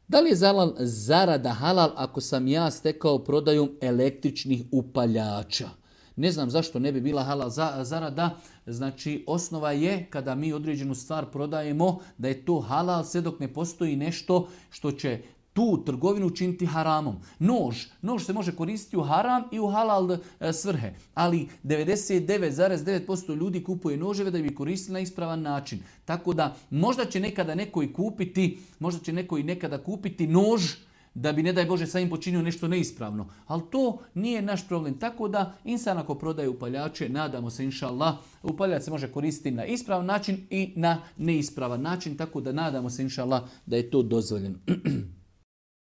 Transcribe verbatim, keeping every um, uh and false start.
Da li je halal zarada halal ako sam ja stekao prodajom električnih upaljača? Ne znam zašto ne bi bila halal zarada. Znači, osnova je kada mi određenu stvar prodajemo da je to halal sve dok ne postoji nešto što će tu trgovinu učiniti haramom. Nož. Nož se može koristiti u haram i u halal svrhe. Ali devedeset devet zarez devet posto ljudi kupuje noževe da bi koristili na ispravan način. Tako da možda će nekada neko i kupiti, možda će neko i nekada kupiti nož da bi, ne daj Bože, sa im počinio nešto neispravno. Ali to nije naš problem. Tako da, insan ako prodaje upaljače, nadamo se, inša Allah, upaljač se može koristiti na ispravan način i na neispravan način. Tako da nadamo se, inša Allah, da je to dozvoljeno.